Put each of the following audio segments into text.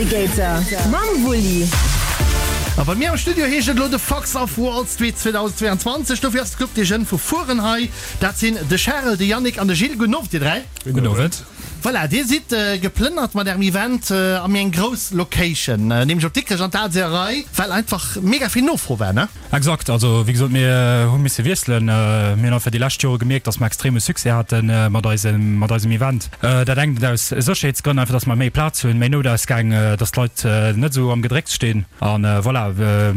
Navigator mam Wulli. A bei mir am Studio heescht et elo The Fox of Wall Street 2022. Dofir ass de Club des Jeunes vu Furen hei. Dat sinn de Charel, de Yannick an de Gilles. Gudden Owend dir 3. Gudden Owend. Voilà, dir sidd geplënnert mat ärem Event a méi eng grouss Location, nämlech op Dikrech an d'Al Seeërei, well einfach mega vill Nofro war, ne? Exakt, also wéi gesot, mir hu misse wiesselen. Mir hunn einfach déi lescht Jore gemierkt, dass mer extreme Succès hate mat eisem, mat eisem Event. Dat engt aus Sécherheetsgrënn, einfach dass mer méi Plaz hunn, méi Noutausgäng, dass d'Leit net esou am Gedrécks stinn. A voilà,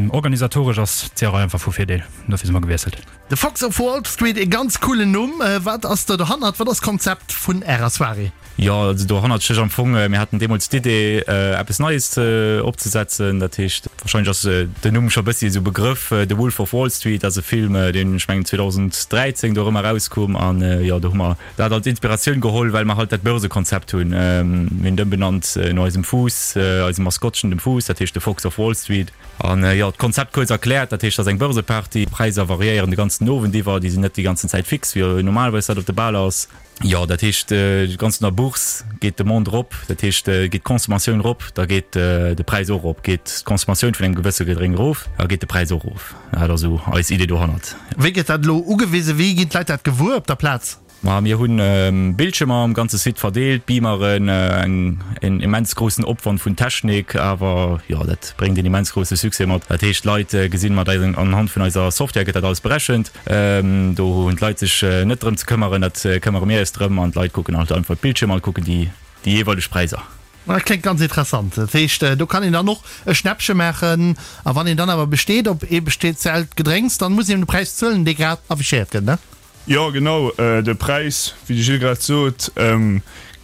organisatoresch ass d'Seeërei einfach vu Virdeel. Dofir si mer gewiesselt. The Fox of Wall Street, e ganz coolen Numm. Wat ass do dohannert? Wat ass d'Konzept vun Ärer Soirée? Jo, also dohannert stécht am Fong, mir haten deemools d'Idee, eppes Neies opzesetzen. Dat heescht, warscheinlech ass den Numm scho e bëssi esou Begrëff, The Wolf of Wall Street ass e Film, deen, ech mengen, 2013 do erëm erauskoum. An jo, do hu mer dat als Inspiratioun geholl, well mer halt dat Börsekonzept hunn. Mir hunn et ëmbenannt no eisem Fuuss, eisem Maskottchen, dem Fuuss, dat heescht The Fox of Wall Street. An jo, d'Konzept kuerz erkläert, dat heescht, et ass eng Börseparty, d'Präisser variéieren de ganzen Owend iwwer, déi sinn net déi ganzen Zäit fix, wéi normalerweis dat op de Baler ass. Jo, dat heescht, ganz no der Bourse geet d'Demande erop, dat heescht, geet d'Consommatioun erop, da geet de Präis och erop. Geet d'Consommatioun vun engem gewësse Gedrénk erof, da geet de Präis och erof. Dat ass esou eis Idee dohannert. Wéi gëtt dat elo ugewisen? Wéi ginn d'Leit dat gewuer op der Plaz? Ma mir hunn Bildschirmer am ganze Site verdeelt, Beameren, en immens groussen Opwand vun Technik, awer jo, dat bréngt een immens grousse Succès mat. Dat heescht, d'Leit gesinn mat eisen, anhand vun eiser Software gëtt dat alles berechent. Do hunn d'Leit sech net drëm ze këmmeren, dat këmmere mir eis drëm an d'Leit kucken halt einfach d'Bildschirmer an kucken déi déi jeeweileg Präisser. Dat kléngt ganz interessant. Dat heescht, do kann een dann och e Schnäppche maachen a wann een dann awer besteet op ee speziellt Gedrénks, dann muss een de Präis zuelen, dee grad affichéiert gëtt, ne? Jo genau, de Präis, wéi de Gilles grad sot,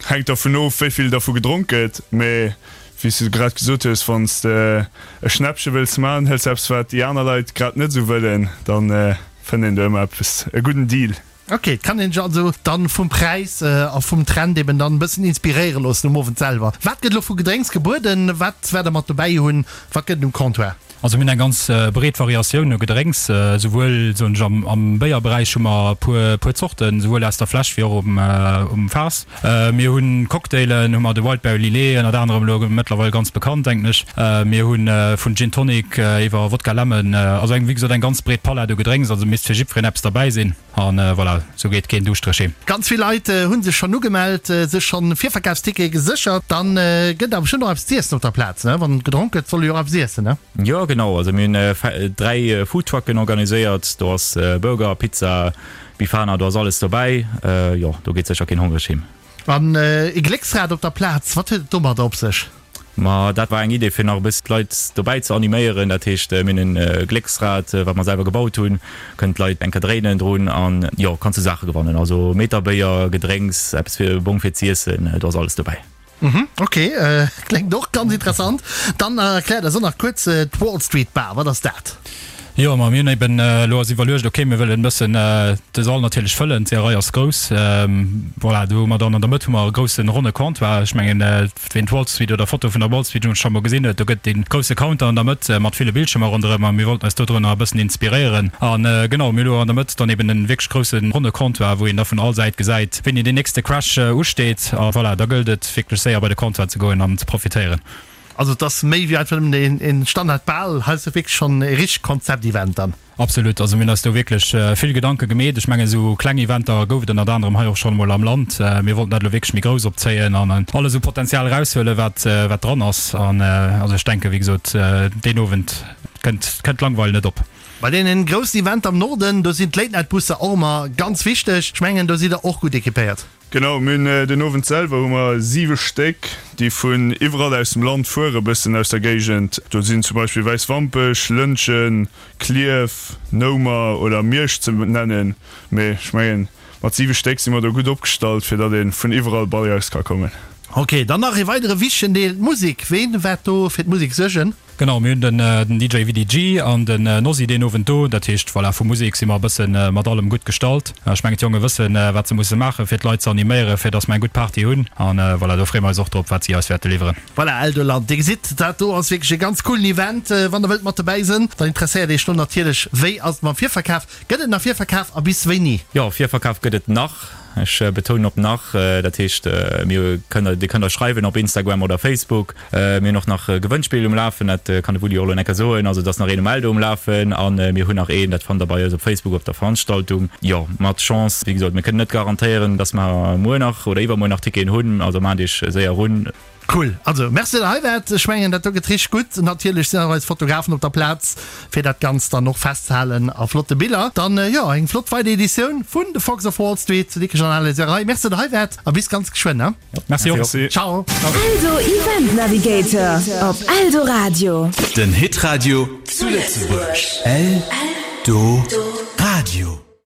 hänkt dervun of, wéi vill dervu gedronk gëtt. Mee wéi s de grad gesot hues, wann s de e Schnäppche wëlls man, hëls eppes wat déi aner Leit grad net esou wëllen, dann fënnt een do ëmmer eppes, e gudden Deal. Ok, et kann een sech also dann vum Präis a vum Trend eben dann e bëssen inspiréiere loossen um Owend selwer. Wat gëtt elo vu Gedrénks gebueden? Wat wäert der mat dobäi hunn? Wat gëtt et um Comptoir? Also mir hunn eng ganz breet Variatioun u Gedrénks, souwuel soen ech am Béierberäich hu mer e puer puer Zorten, souwuel aus der Fläsch wéi och um Faass. Mir hunn Cocktailen, hu mer de Wildberry Lillet ënnert anerem elo mëttlerweil ganz bekannt denken ech. Mir hu vun Gin Tonic iwwer Wodka Lemon, also eng wéi gesot eng ganz breet Palett u Gedrénks, also misst fir jiddwereen eppes derbäi sinn. An voilà, sou geet keen duuschtereg heem. Ganz vill Leit hunn sech schonn ugemellt, sech schonn Virverkafstickete geséchert. Dann gëtt awer bestimmt och eppes z'iessen op der Plaz, ne? Wann gedronk gëtt, soll ee jo och eppes iessen, ne? Jo genau, also mir hunn 3 Foodtrucken organiséiert, do ass Burger, Pizza, Bifana, do ass alles dobäi. Jo, do geet sécher keen hongreg heem. An e Glécksrad op der Plaz, wat huet et domadder op sech? Ma dat war eng Idee fir nach e bëssi d'Leit dobäi ze animéieren. Dat heescht mir hunn e Glécksrad wat mer selwer gebaut hunn, kënnen d'Leit eng Kéier dréinen drun an jo kanns du Saache gewannen. Also Meterbéier, Gedrénks, eppes fir e Bong fir z'iessen, do ass alles dobäi. Mhm, ok, kléngt och ganz interessant. Dann erkläert eis och nach kuerz d'Wall Street Bar, wat ass dat? Jo, ma mir hunn eben elo eis iwwerluecht, ok, mir wëllen e bëssen de Sall natierlech fëllen, d'Seeërei ass grouss, voilà, do hu mer dann an der Mëtt hu mer e groussen ronne Comptoir, ech mengen, Ween d'Wall Street oder Foto vun der Wall Street scho mol gesinn huet, do gëtt dee grousse Counter an der Mëtt mat ville Bildschirmer ronderëm a mir wollten eis dodrunner e bëssen inspiréieren. An genau, mir hu lo an der Mëtt dann eben en wierklech grousse ronne Comptoir, wou een da vun all Säit gesäit, wéini deen nächste Crash usteet. A voilà, da gëllt et wierklech séier bei de Comptoir ze goen an ze profitéieren. Also et ass méi wéi einfach nëmmen een Standard Bal, hei ass et wierklech schonn e richtegt Konzept-Event dann. Absolut, also mir hunn eis do wierklech vill Gedanke gemeet. Ech mengen esou kleng Eventer gouf et ënnert anerem hei och schonn emol am Land. Mir wollten dat elo wierklech méi grouss opzéien an alles u Potenzial eraushuelen, wat wat dran ass. An also ech denken, wéi gesot, deen Owend kënnt kënnt d'Langweil net op. Bei deenen groussen Eventer am Norden, do sinn d'Late-Night-Busser och ëmmer ganz wichteg. Ech mengen do sidd der och gutt equipéiert. Genau, mir hunn den Owend selwer hu mer 7 Stéck, déi vun iwwerall aus dem Land fuere, bëssen aus der Géigend. Do sinn zum Beispill Wäiswampech, Lëntgen, Klierf, Noumer oder Miersch ze nennen. Mee ech mengen, mat 7 Stéck si mer do gutt opgestallt, fir datt ee vun iwwerall bei eis ka kommen. Ok, dann nach ee weidere wichtegen Deel, d'Musek. Ween waert do fir d'Musek suergen? Genau, mir hunn den DJ VDG an den Nosy deen Owend do. Dat heescht, voilà, vu Musek si mer e bësse mat allem gutt gestallt. Ech mengen, d'Jonge wëssen, wat se musse maachen, fir d'Leit ze animéieren, fir dass mer eng gutt Party hunn. An voilà, do freeë mer eis och drop, wat si eis wäerte liwweren. Voilà, Eldoland, Dir gesitt, dat do ass wierklech e ganz coolen Event. Wann der wëllt mat dobäi sënn, dann interesséiert Iech lo natierlech, wéi ass et mam Virverkaf? Gëtt et nach Virverkaf a bis wéini? Jo, Virverkaf gëtt et nach. Ech betounen op nach. Dat heescht, mir kënnt, Dir kënnt eis schreiwen op Instagram oder Facebook. Mir hunn och nach e Gewënnspill um Lafen, dat kann de Wulli och elo enker soen. Also et ass nach een um Eldo um Lafen a mir hunn nach een, dat fannt der bei eis op Facebook op der Veranstaltung. Jo, mat Chance, wéi gesot, mir kënnen net garantéieren, dass mer muer nach oder iwwermuer nach Ticketen hunn, also maacht iech séier erun. Cool, also merci der hei waart. Ech mengen dat do gëtt richteg gutt. Natierlech sinn och eis Fotografen op der Plaz fir dat Ganzt dann och festzehalen a flotte Biller. Dann jo eng flott weider Editioun vun The Fox of Wall Street zu Dikrech an Aleserei. Merci der hei waart a bis ganz geschwënn ne. Merci och. Merci. Ciao. Eldo Event Navigator op Eldoradio. Den Hitradio zu Lëtzebuerg. Eldoradio.